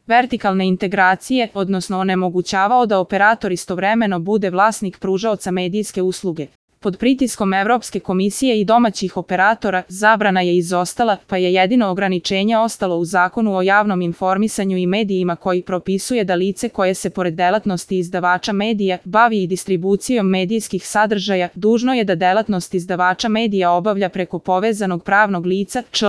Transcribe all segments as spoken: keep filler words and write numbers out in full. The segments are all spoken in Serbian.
vertikalne integracije, odnosno onemogućavao da operator istovremeno bude vlasnik pružaoca medijske usluge. Pod pritiskom Evropske komisije i domaćih operatora, zabrana je izostala, pa je jedino ograničenje ostalo u Zakonu o javnom informisanju i medijima koji propisuje da lice koje se pored delatnosti izdavača medija bavi i distribucijom medijskih sadržaja, dužno je da delatnost izdavača medija obavlja preko povezanog pravnog lica, čl.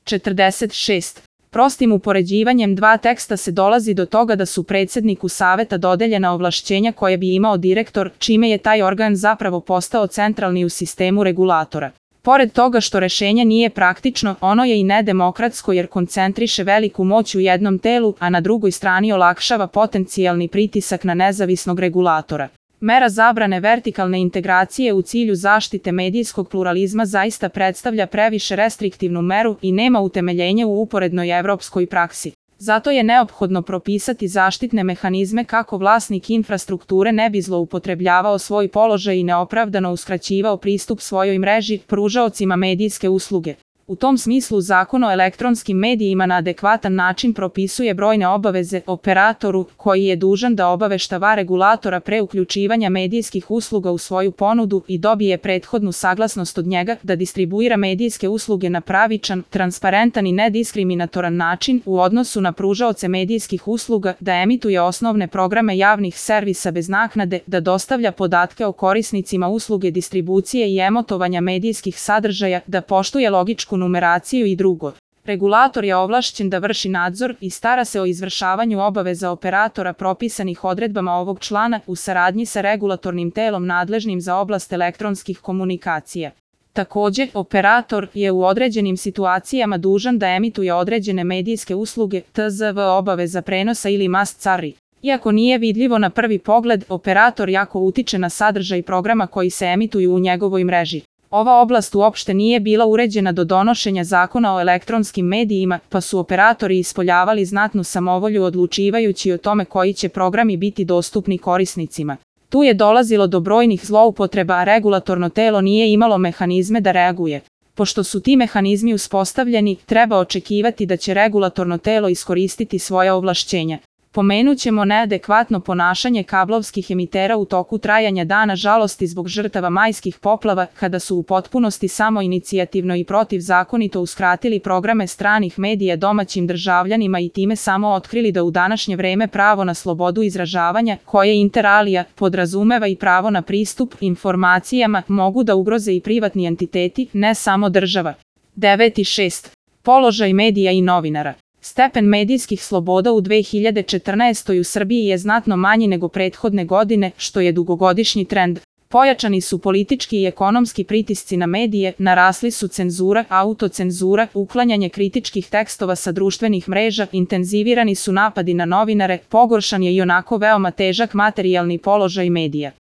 četrdeset šest. Prostim upoređivanjem dva teksta se dolazi do toga da su predsedniku saveta dodeljena ovlašćenja koje bi imao direktor, čime je taj organ zapravo postao centralni u sistemu regulatora. Pored toga što rešenje nije praktično, ono je i nedemokratsko jer koncentriše veliku moć u jednom telu, a na drugoj strani olakšava potencijalni pritisak na nezavisnog regulatora. Mera zabrane vertikalne integracije u cilju zaštite medijskog pluralizma zaista predstavlja previše restriktivnu meru i nema utemeljenje u uporednoj evropskoj praksi. Zato je neophodno propisati zaštitne mehanizme kako vlasnik infrastrukture ne bi zloupotrebljavao svoj položaj i neopravdano uskraćivao pristup svojoj mreži pružaocima medijske usluge. U tom smislu Zakon o elektronskim medijima na adekvatan način propisuje brojne obaveze operatoru koji je dužan da obaveštava regulatora pre uključivanja medijskih usluga u svoju ponudu i dobije prethodnu saglasnost od njega da distribuira medijske usluge na pravičan, transparentan i nediskriminatoran način u odnosu na pružaoce medijskih usluga, da emituje osnovne programe javnih servisa bez naknade, da dostavlja podatke o korisnicima usluge distribucije i emitovanja medijskih sadržaja, da poštuje logičku numeraciju i drugo. Regulator je ovlašćen da vrši nadzor i stara se o izvršavanju obaveza operatora propisanih odredbama ovog člana u saradnji sa regulatornim telom nadležnim za oblast elektronskih komunikacija. Takođe, operator je u određenim situacijama dužan da emituje određene medijske usluge, T Z V obaveza prenosa ili must carry. Iako nije vidljivo na prvi pogled, operator jako utiče na sadržaj programa koji se emituju u njegovoj mreži. Ova oblast uopšte nije bila uređena do donošenja Zakona o elektronskim medijima, pa su operatori ispoljavali znatnu samovolju odlučivajući o tome koji će programi biti dostupni korisnicima. Tu je dolazilo do brojnih zloupotreba, a regulatorno telo nije imalo mehanizme da reaguje. Pošto su ti mehanizmi uspostavljeni, treba očekivati da će regulatorno telo iskoristiti svoja ovlašćenja. Pomenućemo neadekvatno ponašanje kablovskih emitera u toku trajanja Dana žalosti zbog žrtava majskih poplava, kada su u potpunosti samoinicijativno i protivzakonito uskratili programe stranih medija domaćim državljanima i time samo otkrili da u današnje vreme pravo na slobodu izražavanja, koje inter alia podrazumeva i pravo na pristup informacijama, mogu da ugroze i privatni entiteti, ne samo država. devet šest. Položaj medija i novinara. Stepen medijskih sloboda u dve hiljade četrnaestoj u Srbiji je znatno manji nego prethodne godine, što je dugogodišnji trend. Pojačani su politički i ekonomski pritisci na medije, narasli su cenzura, autocenzura, uklanjanje kritičkih tekstova sa društvenih mreža, intenzivirani su napadi na novinare, pogoršan je i onako veoma težak materijalni položaj medija.